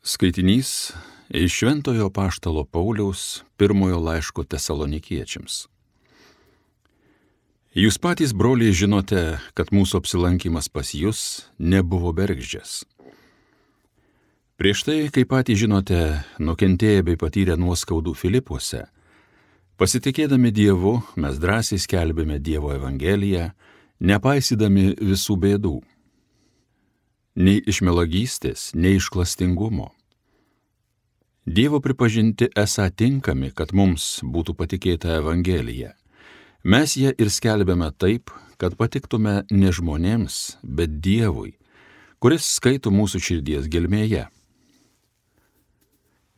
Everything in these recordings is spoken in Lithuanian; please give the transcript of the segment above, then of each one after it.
Skaitinys iš Šventojo Apaštalo Pauliaus pirmojo laiško Tesalonikiečiams. Jūs patys, broliai, žinote, kad mūsų apsilankimas pas jus nebuvo bergždžias. Prieš tai, kaip patys žinote, nukentėję bei patyrę nuoskaudų Filipuose, pasitikėdami Dievu, mes drąsiai skelbėme Dievo evangeliją, nepaisydami visų bėdų. Nei iš melagystės, nei iš klastingumo. Dievo pripažinti esą tinkami, kad mums būtų patikėta evangelija. Mes ją ir skelbėme taip, kad patiktume ne žmonėms, bet Dievui, kuris skaito mūsų širdies gelmėje.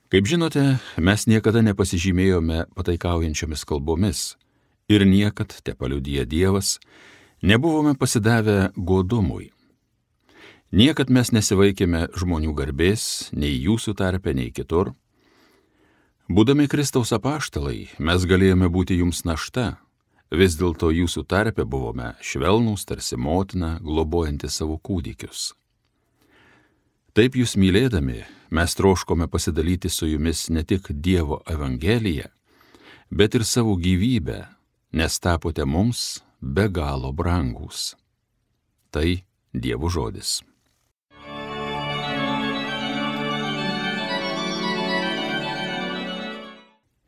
Kaip žinote, mes niekada nepasižymėjome pataikaujančiomis kalbomis ir niekad, tepaliudija Dievas, nebuvome pasidavę godumui. Niekad mes nesivaikėme žmonių garbės, nei jūsų tarpe, nei kitur. Būdami Kristaus apaštalai, mes galėjome būti jums našta, vis dėlto jūsų tarpe buvome švelnūs, tarsi motina, globojanti savo kūdikius. Taip jūs mylėdami, mes troškome pasidalyti su jumis ne tik Dievo evangeliją, bet ir savo gyvybę, nes tapote mums be galo brangūs. Tai Dievo žodis.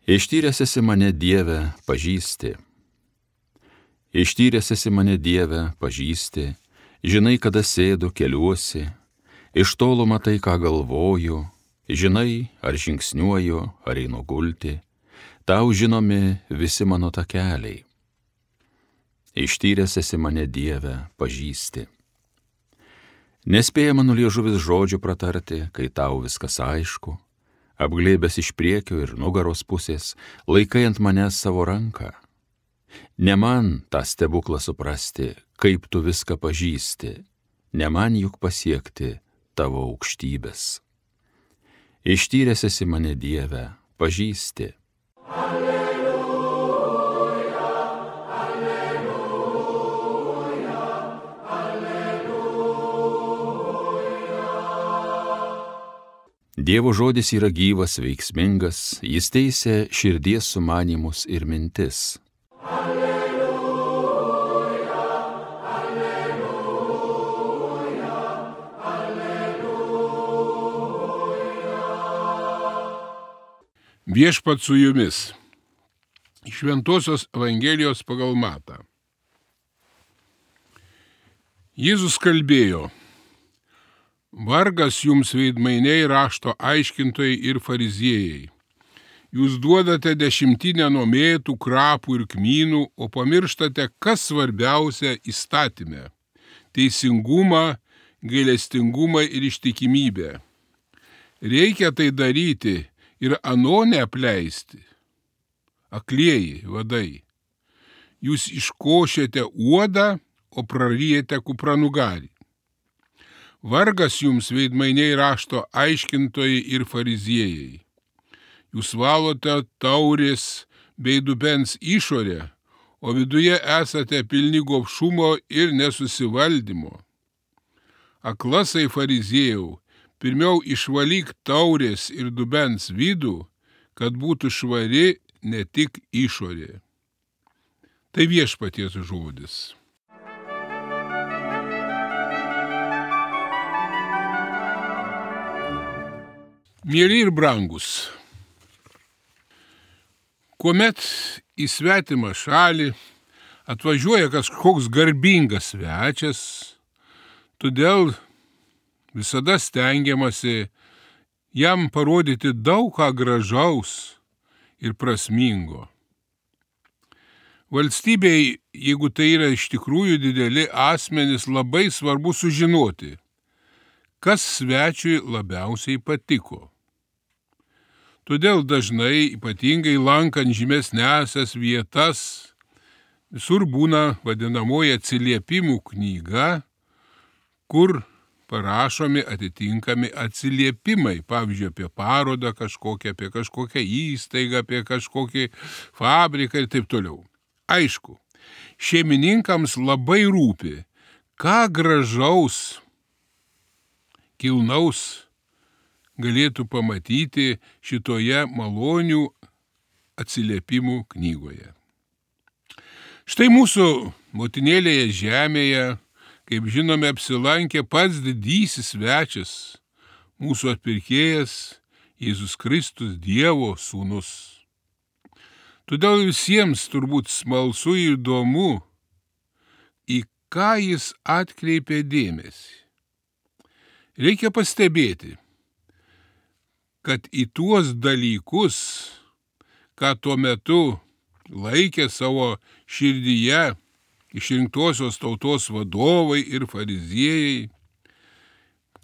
Ištyręs esi mane, Dieve, pažįsti. Ištyręs esi mane, Dieve, pažįsti, žinai, kada sėdu, keliuosi, iš tolo matai, ką galvoju, žinai, ar žingsniuoju, ar einu gulti, tau žinomi visi mano takeliai. Ištyręs esi mane, Dieve, pažįsti. Nespėja mano liežuvis žodžių pratarti, kai tau viskas aišku, apglėbęs iš priekio ir nugaros pusės, laikai ant manęs savo ranką. Ne man tą stebuklą suprasti, kaip tu viską pažįsti, ne man juk pasiekti tavo aukštybės. Ištyręs esi mane, Dieve, pažįsti. Dievo žodis yra gyvas, veiksmingas, jis teisia širdies sumanymus ir mintis. Alleluja, alleluja, alleluja. Viešpat su jumis. Šventosios Evangelijos pagal Matą. Jėzus kalbėjo: Vargas jums, veidmainiai, rašto aiškintojai ir fariziejai. Jūs duodate dešimtinę nuo mėtų, krapų ir kmynų, o pamirštate, kas svarbiausia įstatyme – teisingumą, gailestingumą ir ištikimybę. Reikia tai daryti ir ano neapleisti. Aklieji vadai, jūs iškošėte uodą, o praryjate kupranugarį. Vargas jums, veidmainiai, rašto aiškintojai ir fariziejai. Jūs valote taurės bei dubens išorę, o viduje esate pilni gobšumo ir nesusivaldymo. Aklasai fariziejau, pirmiau išvalyk taurės ir dubens vidų, kad būtų švari ne tik išorė. Tai Viešpaties žodis. Mieli ir brangus, kuomet į svetimą šalį atvažiuoja kažkoks garbingas svečias, todėl visada stengiamasi jam parodyti daug ką gražaus ir prasmingo. Valstybei, jeigu tai yra iš tikrųjų dideli asmenys, labai svarbu sužinoti, kas svečiui labiausiai patiko. Todėl dažnai, ypatingai lankant žymesniąsias vietas, visur būna vadinamoji atsiliepimų knyga, kur parašomi atitinkami atsiliepimai, pavyzdžiui, apie parodą kažkokią, apie kažkokią įstaigą, apie kažkokį fabriką ir taip toliau. Aišku, šeimininkams labai rūpi, ką gražaus, kilnaus galėtų pamatyti šitoje malonių atsiliepimų knygoje. Štai mūsų motinėlėje žemėje, kaip žinome, apsilankė pats didysis svečias, mūsų atpirkėjas Jėzus Kristus, Dievo sūnus. Todėl visiems turbūt smalsu ir įdomu, į ką jis atkreipė dėmesį. Reikia pastebėti, kad į tuos dalykus, ką tuo metu laikė savo širdyje išrinktosios tautos vadovai ir fariziejai,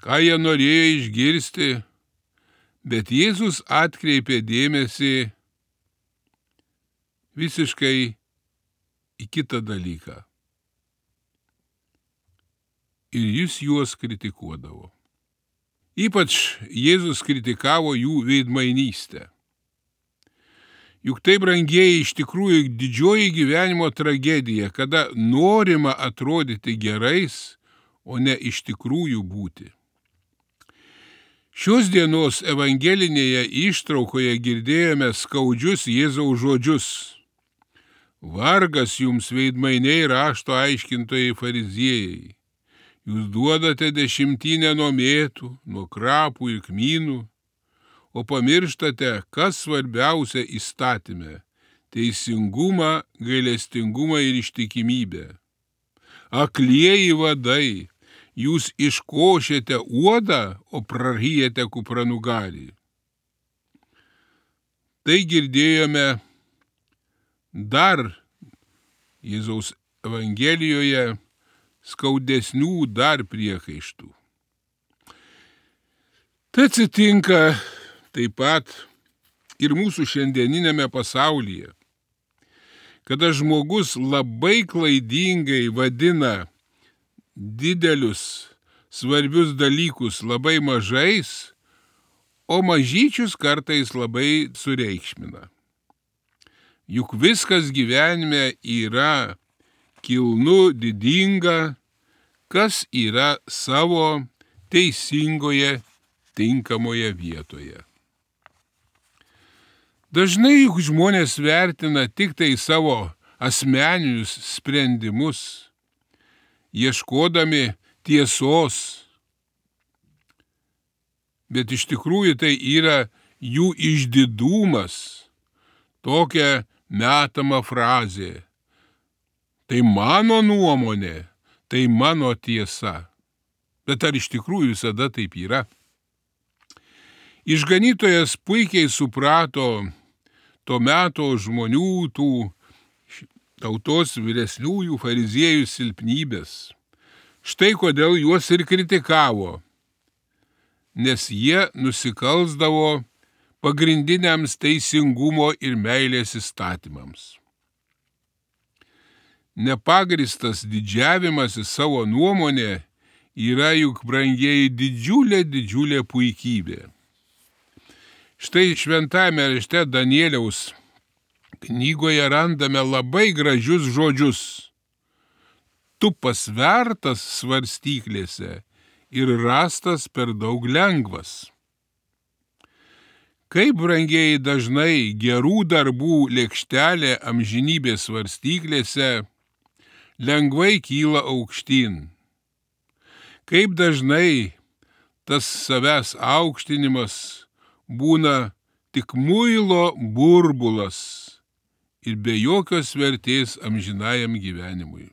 ką jie norėjo išgirsti, bet Jėzus atkreipė dėmesį visiškai į kitą dalyką. Ir jis juos kritikuodavo. Ypač Jėzus kritikavo jų veidmainystę. Juk tai, brangieji, iš tikrųjų didžioji gyvenimo tragedija, kada norima atrodyti gerais, o ne iš tikrųjų būti. Šios dienos evangelinėje ištraukoje girdėjome skaudžius Jėzaus žodžius. Vargas jums, veidmainiai, rašto aiškintojai fariziejai. Jūs duodate dešimtinę nuo mėtų, nuo krapų ir kmynų, o pamirštate, kas svarbiausia įstatyme – teisingumą, gailestingumą ir ištikimybę. Aklieji vadai, jūs iškošėte uodą, o praryjate kupranugarį. Tai girdėjome dar Jėzaus Evangelijoje skaudesnių dar priekaištų. Tai atsitinka taip pat ir mūsų šiandieninėme pasaulyje, kada žmogus labai klaidingai vadina didelius, svarbius dalykus labai mažais, o mažyčius kartais labai sureikšmina. Juk viskas gyvenime yra kilnu, didinga, kas yra savo teisingoje, tinkamoje vietoje. Dažnai juk žmonės vertina tik tai savo asmeninius sprendimus, ieškodami tiesos, bet iš tikrųjų tai yra jų išdidumas, tokia metama frazė. Tai mano nuomonė, tai mano tiesa. Bet ar iš tikrųjų visada taip yra? Išganytojas puikiai suprato to meto žmonių, tų tautos vyresniųjų fariziejų silpnybės. Štai kodėl juos ir kritikavo, nes jie nusikalsdavo pagrindiniams teisingumo ir meilės įstatymams. Nepagristas didžiavimasis savo nuomonė yra juk, brangieji, didžiulė puikybė. Štai šventajame rašte Danieliaus knygoje randame labai gražius žodžius. Tu pasvertas svarstyklėse ir rastas per daug lengvas. Kaip, brangieji, dažnai gerų darbų lėkštelė amžinybės svarstyklėse lengvai kyla aukštyn. Kaip dažnai tas savęs aukštinimas būna tik muilo burbulas ir be jokios vertės amžinajam gyvenimui.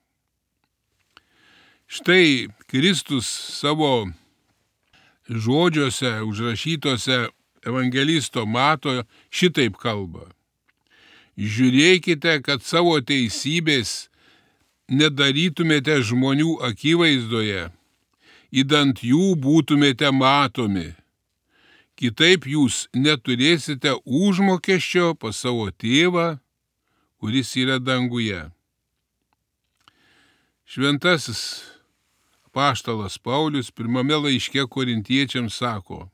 Štai Kristus savo žodžiuose užrašytose evangelisto Mato šitaip kalba. Žiūrėkite, kad savo teisybės nedarytumėte žmonių akivaizdoje, idant jų būtumėte matomi. Kitaip jūs neturėsite užmokesčio pas savo tėvą, kuris yra danguje. Šventasis apaštalas Paulius pirmame laiške Korintiečiams sako: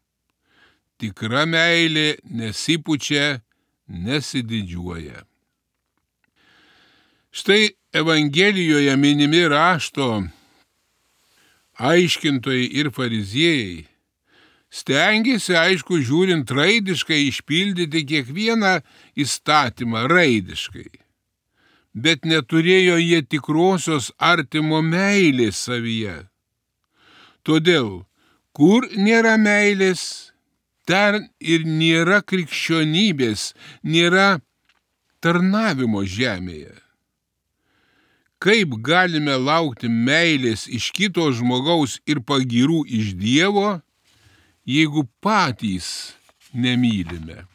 tikra meilė nesipučia, nesididžiuoja. Štai Evangelijoje minimi rašto aiškintojai ir fariziejai stengėsi, aišku, žiūrint raidiškai, išpildyti kiekvieną įstatymą raidiškai, bet neturėjo jie tikrosios artimo meilės savyje. Todėl, kur nėra meilės, ten ir nėra krikščionybės, nėra tarnavimo žemėje. Kaip galime laukti meilės iš kito žmogaus ir pagyrų iš Dievo, jeigu patys nemylime?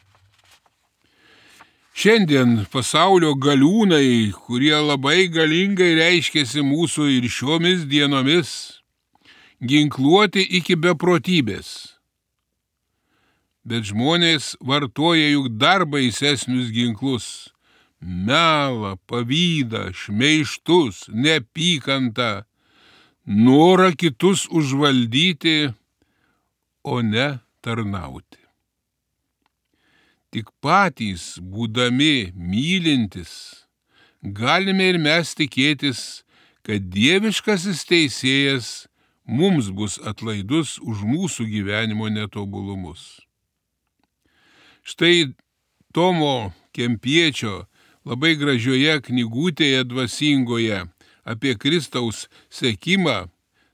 Šiandien pasaulio galiūnai, kurie labai galingai reiškiasi mūsų ir šiomis dienomis, ginkluoti iki beprotybės. Bet žmonės vartoja juk dar baisesnius ginklus: melą, pavydą, šmeižtus, neapykantą, norą kitus užvaldyti, o ne tarnauti. Tik patys, būdami mylintis, galime ir mes tikėtis, kad dieviškasis teisėjas mums bus atlaidus už mūsų gyvenimo netobulumus. Štai Tomo Kempiečio labai gražioje knygutėje dvasingoje apie Kristaus sekimą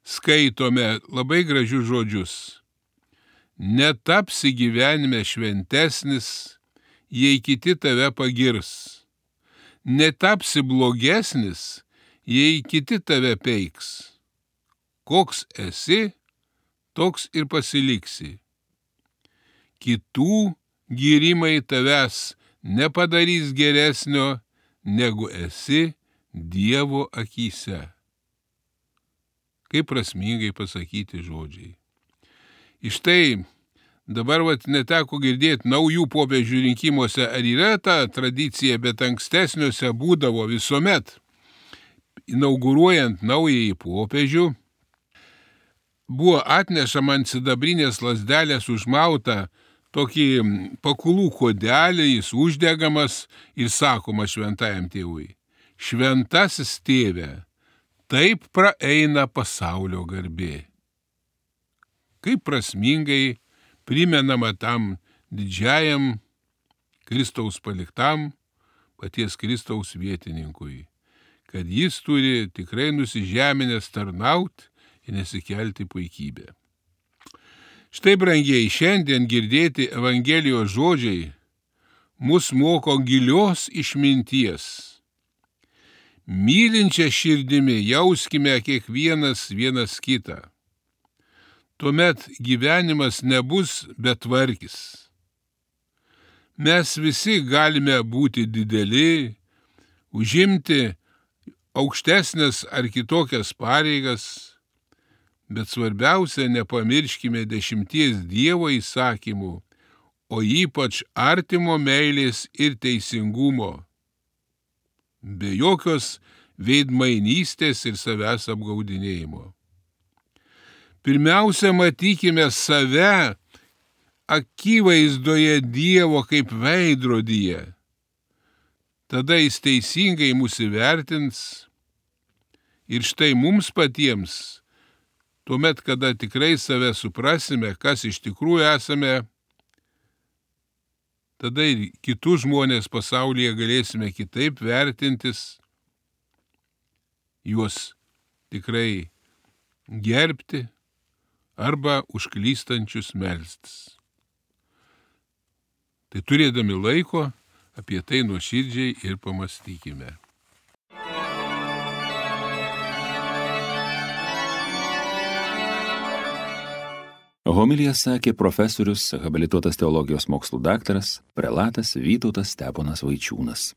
skaitome labai gražius žodžius. Netapsi gyvenime šventesnis, jei kiti tave pagirs. Netapsi blogesnis, jei kiti tave peiks. Koks esi, toks ir pasiliksi. Kitų gyrimai tavęs nepadarys geresnio, negu esi Dievo akyse. Kaip prasmingai pasakyti žodžiai. Iš tai dabar neteko girdėti naujų popiežių rinkimuose, ar yra ta tradicija, bet ankstesniuose būdavo visuomet, inauguruojant naująjį popiežių, buvo atnešama ant sidabrinės lazdelės užmauta tokį pakulų kodelį, jis uždegamas ir sakoma šventajam tėvui: šventasis tėve, taip praeina pasaulio garbė. Kaip prasmingai primenama tam didžiajam Kristaus paliktam, paties Kristaus vietininkui, kad jis turi tikrai nusižeminęs tarnauti ir nesikelti puikybę. Štai, brangiai, šiandien girdėti Evangelijos žodžiai mus moko gilios išminties. Mylinčia širdimi jauskime kiekvienas vienas kitą. Tuomet gyvenimas nebus betvarkis. Mes visi galime būti dideli, užimti aukštesnės ar kitokias pareigas, bet svarbiausia, nepamirškime 10 Dievo įsakymų, o ypač artimo meilės ir teisingumo, be jokios veidmainystės ir savęs apgaudinėjimo. Pirmiausia, matykime save akivaizdoje Dievo kaip veidrodyje. Tada jis teisingai mus įvertins ir štai mums patiems, tuomet, kada tikrai save suprasime, kas iš tikrųjų esame, tada ir kitus žmonės pasaulyje galėsime kitaip vertintis, juos tikrai gerbti arba užklystančius melstis. Tai turėdami laiko, apie tai nuoširdžiai ir pamastykime. Homiliją sakė profesorius, habilituotas teologijos mokslų daktaras, prelatas Vytautas Steponas Vaičiūnas.